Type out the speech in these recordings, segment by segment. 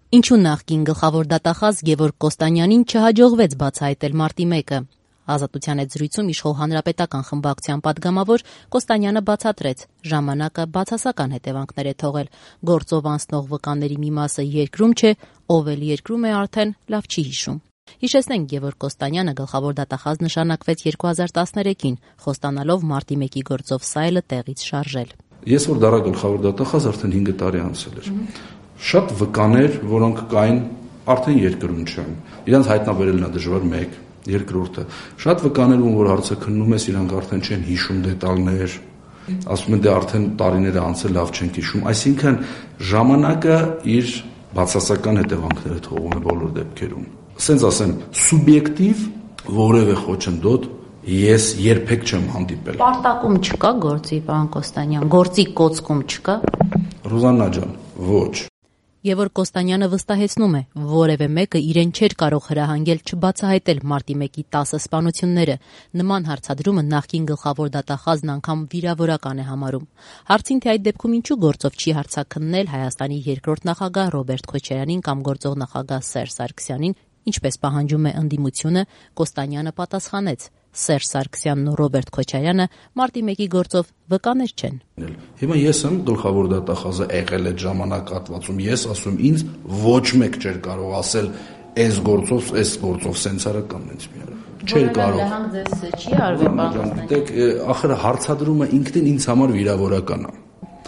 Ինչու նախկին գլխավոր դատախազ Գևորգ Կոստանյանին չհաջողվեց բացահայտել մարտի 1-ը։ Ազատության հետ զրույցում իշխող հանրապետական խմբակցության պատգամավոր Կոստանյանը բացատրեց, ժամանակը բացասական հետևանքներ է թողել։ Գործով անցնող վկաների մի մասը երկրում չէ, ով էլ երկրում է արդեն լավ չի հիշում։ Հիշեցնենք, Գևորգ Կոստանյանը գլխավոր դատախազ նշանակվեց 2013-ին, խոստանալով մարտի 1-ի գործով սայլը տեղից շարժել։ Ես որ դառա գլխավոր դատախազ արդեն 5 տարի անցել էր։ Շատ վկաներ, որոնք կային, արդեն երկրում չեն։ Իրանց հայտնաբերելն է դժվար, մեկ, երկրորդը։ Շատ վկաներ, որ հարցը քննում ես, իրանք արդեն չեն հիշում դետալներ, ասում են դե արդեն տարիները անցել, լավ չենք հիշում։ Այսինքն ժամանակը իր բացասական հետևանքները թողում է բոլոր դեպքերում։ Ասենց ասեմ, սուբյեկտիվ որևէ խոչընդոտ ես երբեք չեմ հանդիպել։ Պարտակում չկա գործի, պարոն Կոստանյան, գործի կոծկում չկա։ Ռուզաննա ջան, ոչ։ Գևորգ Կոստանյանը վստահեցնում է, որևէ մեկը իրեն չէր կարող հրահանգել չբացահայտել մարտի 1-ի 10 սպանությունները։ Նման հարցադրումը նախկին գլխավոր դատախազն անգամ վիրավորական է համարում։ Հարցին, թե այդ դեպքում ինչու գործով չի հարցաքննել Հայաստանի երկրորդ նախագահ Ռոբերտ Քոչարյանին կամ գործող նախագահ Սերժ Սարգսյանին, ինչպես պահանջում է ընդդիմությունը, Կոստանյանը պատասխանեց. Սերժ Սարգսյանն ու Ռոբերտ Քոչարյանը մարտի 1-ի գործով վկաներ չեն։ Հիմա ես եմ գլխավոր դատախազը եղել այդ ժամանակահատվածում, ես ասում ինձ ոչ մեկ չէր կարող ասել այս գործով սենսարական ինձ մի արա։ Չէր կարող։ Հրահանգ ձեզ չի արվել, պարոն Կոստանյան։ Դեք, ախր հարցադրումը ինքնին ինձ համար վիրավորական է։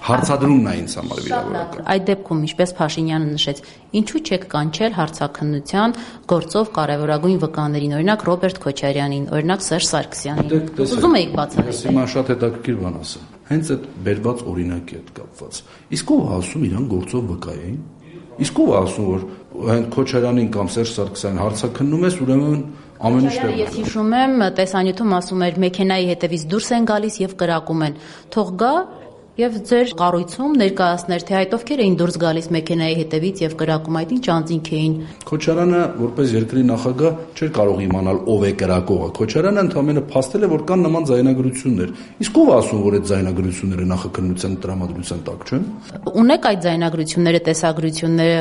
Հարցադրումն է ինձ համար վիրավորական։ Այդ դեպքում, ինչպես Փաշինյանը նշեց, ինչու չեք կանչել հարցաքննության գործով կարևորագույն վկաներին, օրինակ Ռոբերտ Քոչարյանին, օրինակ Սերժ Սարգսյանին։ Ուզում եք բացահայտել։ Հիմա շատ հետաքրքիր բան ասեմ։ Հենց այդ բերված օրինակի հետ կապված։ Իսկ ով ասում իրան գործով վկա էին։ Իսկ ով ասում որ հենց Քոչարյանին կամ Սերժ Սարգսյանին հարցաքննում ես, ուրեմն ամեն ինչ դեպքում։ Ես հիշում եմ, տեսանյութում ասում էր մեքենայի հետևից դուրս են գալիս եւ կրակում են։ Թող գա եւ ձեր կառույցում ներկայացներ, թե այդ ովքեր էին դուրս գալիս մեքենայի հետևից եւ կրակում, այդ ինչ անձինք էին։ Քոչարյանը որպես երկրի նախագահ չէր կարող իմանալ ով է կրակողը։ Քոչարյանը ընդհանրապես փաստել է, որ կան նման ձայնագրություններ։ Իսկ ով ասում, որ այդ ձայնագրությունները նախաքննության տրամադրության տակ չեն։ Ունեք այդ ձայնագրությունները, տեսագրությունները,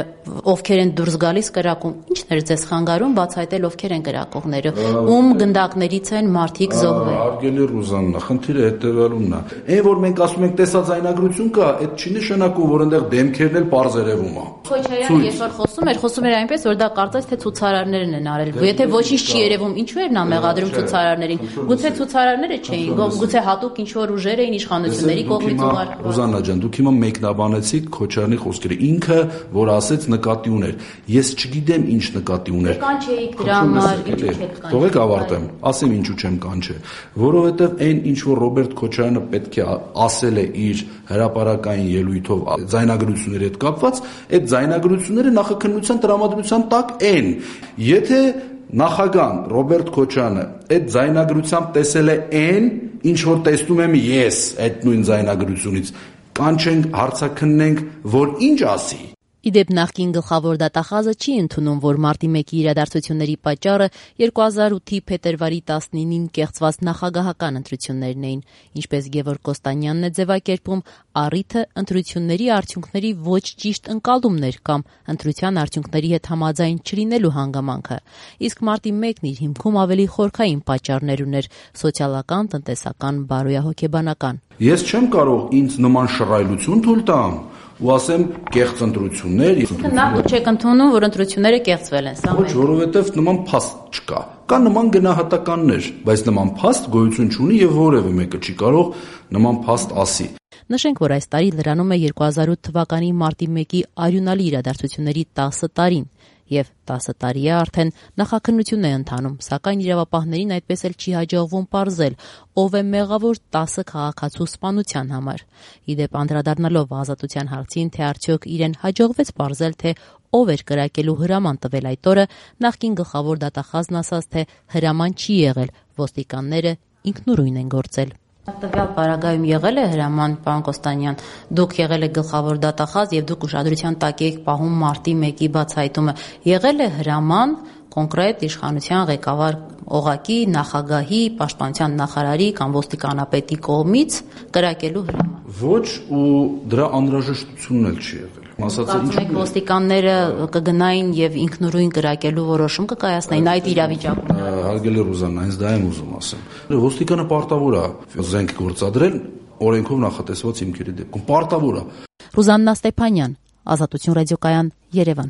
ովքեր են դուրս գալիս կրակում։ Ինչն էր ձեզ խանգարում բացահայտել ովքեր են կրակողները։ Ում գնդակներից են մարդիկ զոհվել։ Հարգելի Ռուզաննա, խնդիրը հետևյալումն է։ Այն որ մենք ասում ենք տեսած ձայնագրություն կա, այդ չի նշանակում, որ այնտեղ դեմքերն էլ պարզ երևում է։ Քոչարյանը այսօր խոսում էր այնպես, որ դա կարծես թե ցուցարարներն են արել։ Եթե ոչինչ չի երևում, ինչու էր նա մեղադրում ցուցարարներին։ Գուցե ցուցարարները չէին, գուցե հատուկ ինչ որ ուժեր էին իշխանությունների կողմից ուղարկված։ Ռուզաննա ջան, դուք հիմա մեկնաբանեցիք Քոչարյանի խոսքերը։ Ինքը, որ ասեց նկատի ուներ։ Ես չգիտեմ ինչ նկատի ուներ։ Կանչեիք դրա համար, ինչու չեք կանչել։ Թողեք ավարտեմ, ասեմ ինչու չեմ կանչել, որովհետև այն ինչ որ Ռոբերտ Քոչարյանը պետք է ասել է իր հրապարակային ելույթով ձայնագրությունների հետ կապված, այդ ձայնագրությունները նախաքննության տրամադրության տակ են։ Եթե նախագահ Ռոբերտ Քոչարյանը այդ ձայնագրությամբ տեսել է այն, ինչ որ տեսնում եմ ես այդ նույն ձայնագրությունից, կանչենք, հարցաքննենք, որ ինչ ասի։ Իդեպ նախկին գլխավոր դատախազը չի ընդունում, որ մարտի 1-ի իրադարձությունների պատճառը 2008-ի փետրվարի 19-ին կեղծված նախագահական ընտրություններն էին, ինչպես Գևորգ Կոստանյանն է ձևակերպում, առիթը ընտրությունների արդյունքների ոչ ճիշտ ընկալումներ կամ ընտրության արդյունքների հետ համաձայն չլինելու հանգամանքը, իսկ մարտի 1-ն իր հիմքում ավելի խորքային պատճառներ ուներ՝ սոցիալական, տնտեսական, բարոյահոգեբանական։ Ես չեմ կարող ինձ նման շռայլություն թույլ տամ ու ասեմ կեղծ ընտրություններ։ Նախ դուք չեք ընդունում, որ ընտրությունները կեղծվել են, սա Ոչ, որովհետև նման փաստ չկա։ Կա նման գնահատականներ, բայց նման փաստ գոյություն չունի եւ որևէ մեկը չի կարող նման փաստ ասի։ Նշենք, որ այս տարի լրանում է 2008 թվականի մարտի 1-ի արյունալի իրադարձությունների 10 տարին, եւ 10 տարի է արդեն նախաքննություն է ընթանում, սակայն իրավապահներին այդպես էլ չի հաջողվում պարզել, ով է մեղավոր 10 քաղաքացու սպանության համար։ Իդեպ անդրադառնալով ազատության հարցին, թե արդյոք իրեն հաջողվեց պարզել, թե ով էր կրակելու հրաման տվել այդ օրը, նախկին գլխավոր դատախազն ասաց, թե հրաման չի եղել, ոստիկանները ինքնուրույն են գործել։ Տվյալ պարագայում եղել է հրաման, պարոն Կոստանյան, դուք եղել եք գլխավոր դատախազ եւ դուք ուշադրության տակ եք պահում մարտի 1-ի բացահայտումը, եղել է հրաման կոնկրետ իշխանության ղեկավար օղակի նախագահի, պաշտպանության նախարարի կամ ոստիկանապետի կողմից կրակելու հրաման։ Ոչ, ու դրա անհրաժեշտությունն էլ չի եղել։ Կարծում եք ոստիկանները կգնային եւ ինքնուրույն կրակելու որոշում կկայացնեին այդ իրավիճակում։ Հարգելի Ռուզաննա, հենց դա եմ ուզում ասեմ։ Ոստիկանը պարտավոր է զենք գործադրել օրենքով նախատեսված հիմքերի դեպքում։ Պարտավոր է։ Ռուզաննա Ստեփանյան, Ազատություն ռադիոկայան, Երևան։